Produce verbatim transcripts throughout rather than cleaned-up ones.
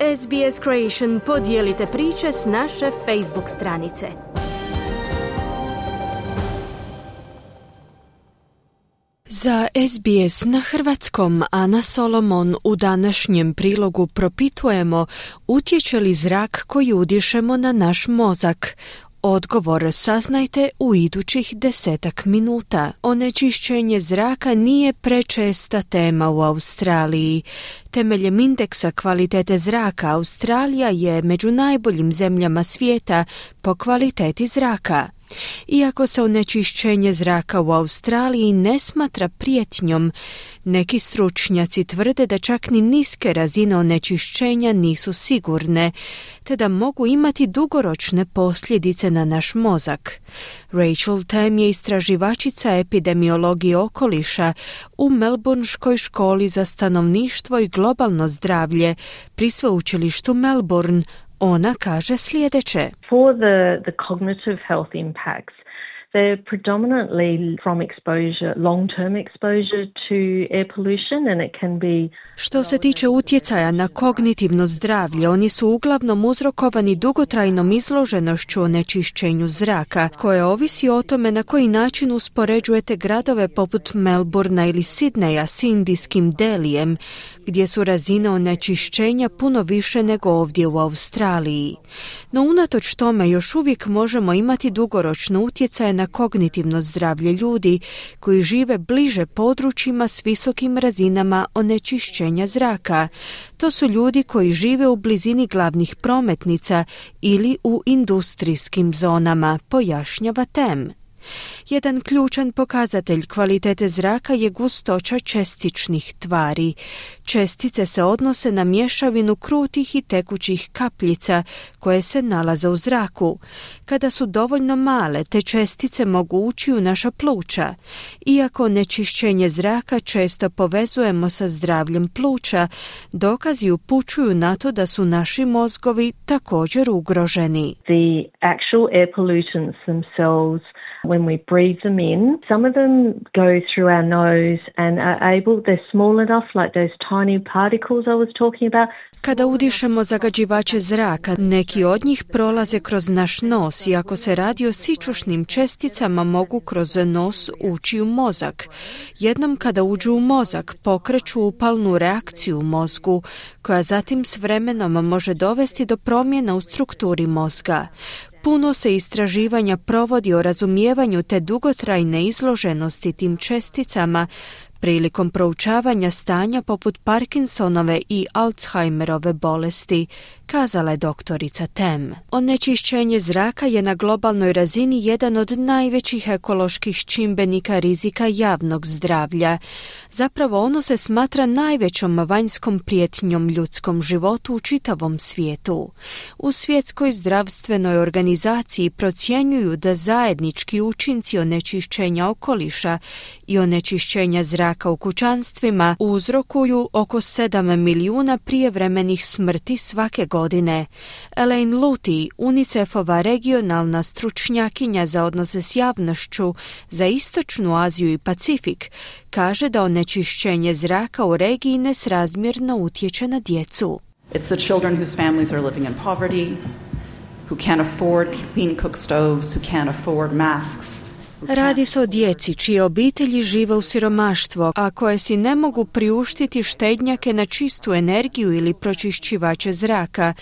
S B S Creation podijelite priče s naše Facebook stranice. Za S B S na hrvatskom Ana Solomon u današnjem prilogu propitujemo utječe li zrak koji udišemo na naš mozak. Odgovor saznajte u idućih desetak minuta. Onečišćenje zraka nije prečesta tema u Australiji. Temeljem indeksa kvalitete zraka Australija je među najboljim zemljama svijeta po kvaliteti zraka. Iako se onečišćenje zraka u Australiji ne smatra prijetnjom, neki stručnjaci tvrde da čak ni niske razine onečišćenja nisu sigurne, te da mogu imati dugoročne posljedice na naš mozak. Rachel Tam je istraživačica epidemiologije okoliša u Melbourneškoj školi za stanovništvo i globalno zdravlje pri sveučilištu Melbourne. Ona kaže sljedeće. For the, the cognitive health impacts, they're predominantly from exposure, long-term exposure to air pollution, and it can be... Što se tiče utjecaja na kognitivno zdravlje, oni su uglavnom uzrokovani dugotrajnom izloženošću onečišćenju zraka, koje ovisi o tome na koji način uspoređujete gradove poput Melbournea ili Sidneja s indijskim Delijem, gdje su razine onečišćenja puno više nego ovdje u Australiji. No unatoč tome još uvijek možemo imati dugoročno utjecaje na kognitivno zdravlje ljudi koji žive bliže područjima s visokim razinama onečišćenja zraka. To su ljudi koji žive u blizini glavnih prometnica ili u industrijskim zonama, pojašnjava Tam. Jedan ključan pokazatelj kvalitete zraka je gustoća čestičnih tvari. Čestice se odnose na mješavinu krutih i tekućih kapljica koje se nalaze u zraku. Kada su dovoljno male, te čestice mogu ući u naša pluća. Iako onečišćenje zraka često povezujemo sa zdravljem pluća, dokazi upućuju na to da su naši mozgovi također ugroženi. The actual air pollutants themselves, when we breathe them in, some of them go through our nose and are able, they're small enough, like those tiny particles I was talking about. Kada udišemo zagađivače zraka, neki od njih prolaze kroz naš nos i ako se radi o sićušnim česticama mogu kroz nos ući u mozak. Jednom kada uđu u mozak, pokreću upalnu reakciju u mozgu, koja zatim s vremenom može dovesti do promjena u strukturi mozga. Puno se istraživanja provodi o razumijevanju te dugotrajne izloženosti tim česticama prilikom proučavanja stanja poput Parkinsonove i Alzheimerove bolesti, kazala je doktorica Tam. Onečišćenje zraka je na globalnoj razini jedan od najvećih ekoloških čimbenika rizika javnog zdravlja. Zapravo ono se smatra najvećom vanjskom prijetnjom ljudskom životu u čitavom svijetu. U Svjetskoj zdravstvenoj organizaciji procjenjuju da zajednički učinci onečišćenja okoliša i onečišćenja zraka u kućanstvima uzrokuju oko sedam milijuna prijevremenih smrti svake godine. Elaine Luty, UNICEF-ova regionalna stručnjakinja za odnose s javnošću za Istočnu Aziju i Pacifik, kaže da onečišćenje zraka u regiji nesrazmjerno utječe na djecu. It's the children whose families are living in poverty, who can't afford clean cook stoves, who can't afford masks. Radi se o djeci čije obitelji žive u siromaštvu, a koje si ne mogu priuštiti štednjake na čistu energiju ili pročišćivače zraka.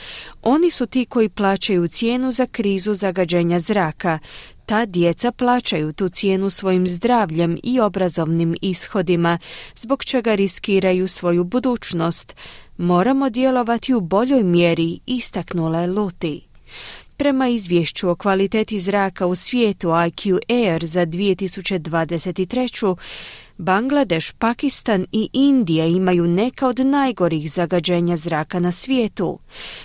Oni su ti koji plaćaju cijenu za krizu zagađenja zraka. Ta djeca plaćaju tu cijenu svojim zdravljem i obrazovnim ishodima, zbog čega riskiraju svoju budućnost. Moramo djelovati u boljoj mjeri, istaknula je Luty. Prema izvješću o kvaliteti zraka u svijetu I Q Air za dvije tisuće dvadeset treću. Bangladeš, Pakistan i Indija imaju neka od najgorih zagađenja zraka na svijetu.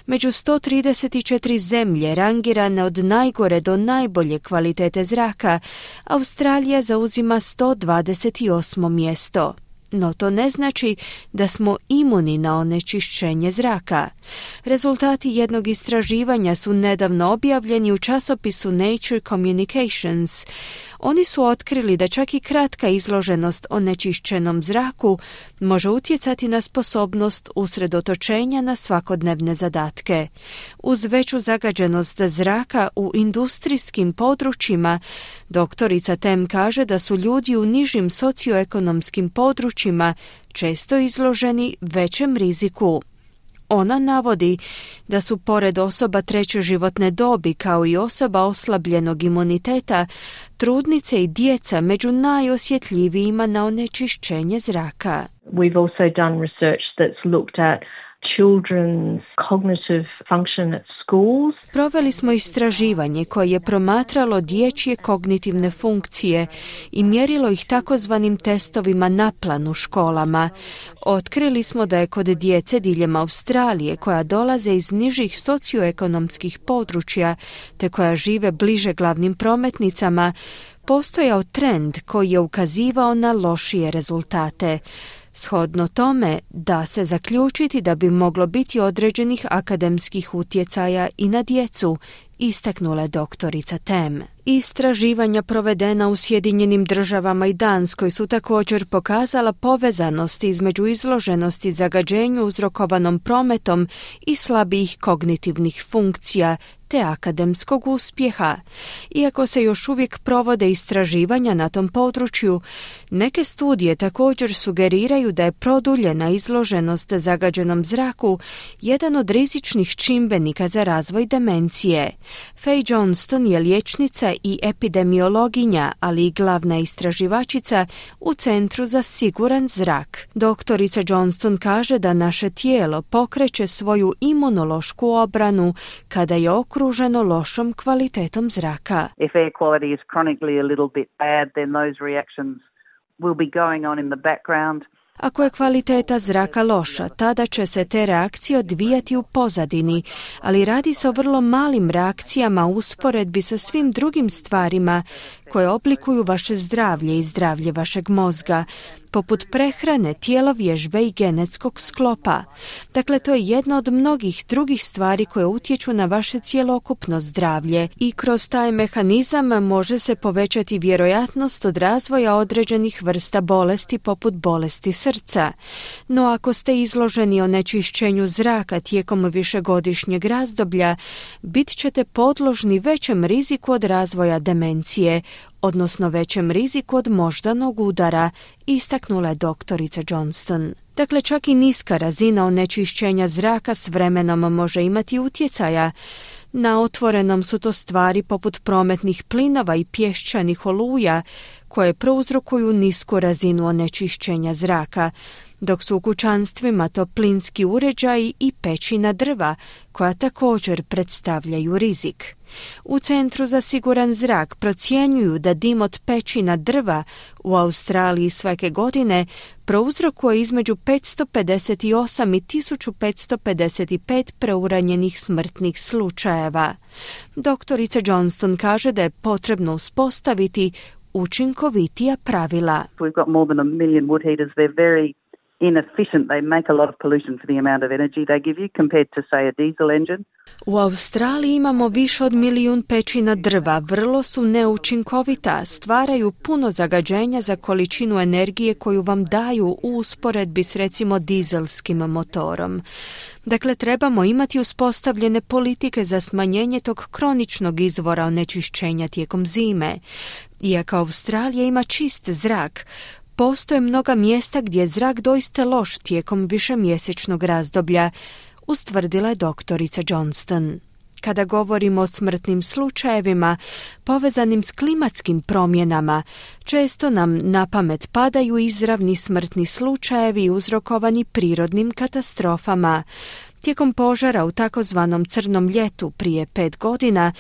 Među sto trideset četiri zemlje rangirane od najgore do najbolje kvalitete zraka, Australija zauzima sto dvadeset osmo mjesto. no to ne znači da smo imuni na onečišćenje zraka. Rezultati jednog istraživanja su nedavno objavljeni u časopisu Nature Communications. Oni su otkrili da čak i kratka izloženost onečišćenom zraku može utjecati na sposobnost usredotočenja na svakodnevne zadatke. Uz veću zagađenost zraka u industrijskim područjima, doktorica Tem kaže da su ljudi u nižim socioekonomskim područjima često izloženi većem riziku. Ona navodi da su pored osoba treće životne dobi kao i osoba oslabljenog imuniteta, trudnice i djeca među najosjetljivijima na onečišćenje zraka. We've also done research that's looked at children's cognitive function at schools. Proveli smo istraživanje koje je promatralo dječje kognitivne funkcije i mjerilo ih takozvanim testovima naplan u školama. Otkrili smo da je kod djece diljem Australije koja dolaze iz nižih socioekonomskih područja te koja žive bliže glavnim prometnicama postojao trend koji je ukazivao na lošije rezultate. Shodno tome, da se zaključiti da bi moglo biti određenih akademskih utjecaja i na djecu, istaknula je doktorica Tem. Istraživanja provedena u Sjedinjenim državama i Danskoj su također pokazala povezanost između izloženosti zagađenju uzrokovanom prometom i slabijih kognitivnih funkcija te akademskog uspjeha. Iako se još uvijek provode istraživanja na tom području, neke studije također sugeriraju da je produljena izloženost zagađenom zraku jedan od rizičnih čimbenika za razvoj demencije. Faye Johnston je liječnica i epidemiologinja, ali i glavna istraživačica u Centru za siguran zrak. Doktorica Johnston kaže da naše tijelo pokreće svoju imunološku obranu kada je okruženo lošom kvalitetom zraka. If air quality is chronically a little bit bad, then those reactions will be going on in the background. Ako je kvaliteta zraka loša, tada će se te reakcije odvijati u pozadini, ali radi se o vrlo malim reakcijama u usporedbi sa svim drugim stvarima koje oblikuju vaše zdravlje i zdravlje vašeg mozga, poput prehrane, tjelovježbe i genetskog sklopa. Dakle, to je jedna od mnogih drugih stvari koje utječu na vaše cjelokupno zdravlje i kroz taj mehanizam može se povećati vjerojatnost od razvoja određenih vrsta bolesti poput bolesti srca. No ako ste izloženi onečišćenju zraka tijekom višegodišnjeg razdoblja, bit ćete podložni većem riziku od razvoja demencije, odnosno većem riziku od moždanog udara, istaknula je doktorica Johnston. Dakle, čak i niska razina onečišćenja zraka s vremenom može imati utjecaja. Na otvorenom su to stvari poput prometnih plinova i pješčanih oluja koje prouzrokuju nisku razinu onečišćenja zraka, dok su u kućanstvima to plinski uređaji i pećina drva koja također predstavljaju rizik. U Centru za siguran zrak procjenjuju da dim od pećina drva u Australiji svake godine prouzrokuje između petsto pedeset osam i tisuću petsto pedeset pet preuranjenih smrtnih slučajeva. Doktorica Johnston kaže da je potrebno uspostaviti učinkovitija pravila. We've got more than a million wood heaters. They're very inefficient. They make a lot of pollution for the amount of energy they give you compared to, say, a diesel engine. U Australiji imamo više od milijun pećina drva, vrlo su neučinkovita, stvaraju puno zagađenja za količinu energije koju vam daju u usporedbi s recimo dizelskim motorom. Dakle, trebamo imati uspostavljene politike za smanjenje tog kroničnog izvora onečišćenja tijekom zime. Iako Australija ima čist zrak, postoje mnoga mjesta gdje je zrak doista loš tijekom višemjesečnog razdoblja, ustvrdila je doktorica Johnston. Kada govorimo o smrtnim slučajevima povezanim s klimatskim promjenama, često nam na pamet padaju izravni smrtni slučajevi uzrokovani prirodnim katastrofama. Tijekom požara u takozvanom crnom ljetu prije pet godina,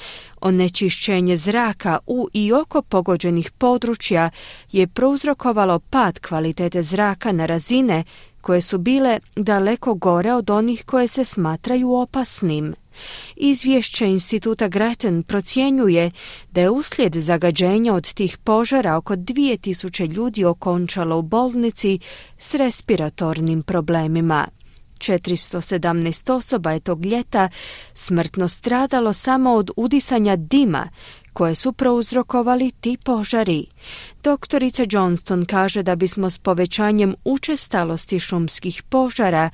onečišćenje zraka u i oko pogođenih područja je prouzrokovalo pad kvalitete zraka na razine koje su bile daleko gore od onih koje se smatraju opasnim. Izvješće Instituta Grattan procjenjuje da je uslijed zagađenja od tih požara oko dvije tisuće ljudi okončalo u bolnici s respiratornim problemima. četiristo sedamnaest osoba je tog ljeta smrtno stradalo samo od udisanja dima koje su prouzrokovali ti požari. Doktorica Johnston kaže da bismo s povećanjem učestalosti šumskih požara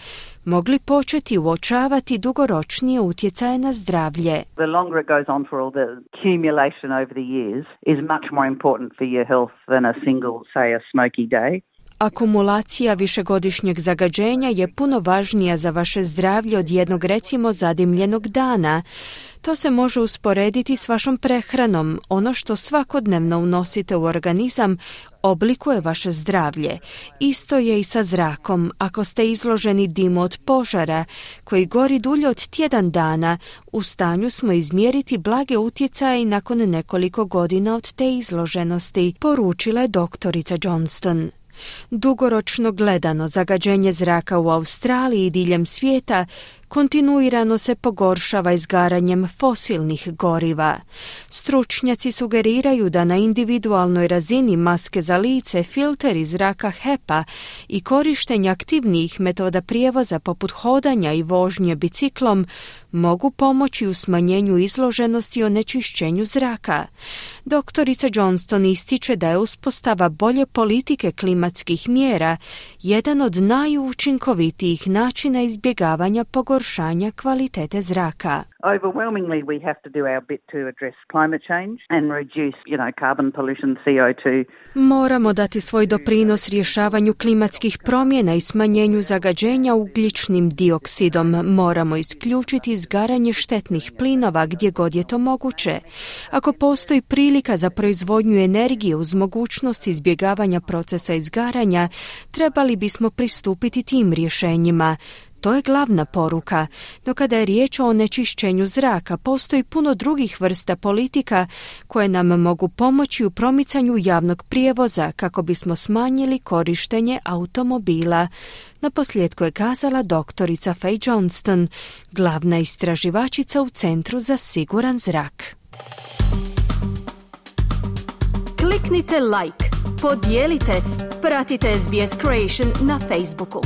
mogli početi uočavati dugoročnije utjecaje na zdravlje. The longer it goes on for all the accumulation over the years is much more important for your health than a single, say, a smoky day. Akumulacija višegodišnjeg zagađenja je puno važnija za vaše zdravlje od jednog recimo zadimljenog dana. To se može usporediti s vašom prehranom. Ono što svakodnevno unosite u organizam oblikuje vaše zdravlje. Isto je i sa zrakom. Ako ste izloženi dimu od požara koji gori dulje od tjedan dana, u stanju smo izmjeriti blage utjecaje i nakon nekoliko godina od te izloženosti, poručila je doktorica Johnston. Dugoročno gledano, zagađenje zraka u Australiji i diljem svijeta kontinuirano se pogoršava izgaranjem fosilnih goriva. Stručnjaci sugeriraju da na individualnoj razini maske za lice, filteri zraka H E P A i korištenje aktivnijih metoda prijevoza poput hodanja i vožnje biciklom mogu pomoći u smanjenju izloženosti i onečišćenju zraka. Doktorica Johnston ističe da je uspostava bolje politike klimatskih mjera jedan od najučinkovitijih načina izbjegavanja pogoršanja kvalitete zraka. Overwhelmingly, we have to do our bit to address climate change and reduce, you know, carbon pollution, C O two. Moramo dati svoj doprinos rješavanju klimatskih promjena i smanjenju zagađenja ugljičnim dioksidom. Moramo isključiti izgaranje štetnih plinova gdje god je to moguće. Ako postoji prilika za proizvodnju energije uz mogućnost izbjegavanja procesa izgaranja, trebali bismo pristupiti tim rješenjima. To je glavna poruka, no kada je riječ o onečišćenju zraka, postoji puno drugih vrsta politika koje nam mogu pomoći u promicanju javnog prijevoza kako bismo smanjili korištenje automobila. Naposljetku je kazala doktorica Faye Johnston, glavna istraživačica u Centru za siguran zrak. Kliknite like, podijelite, pratite S B S Creation na Facebooku.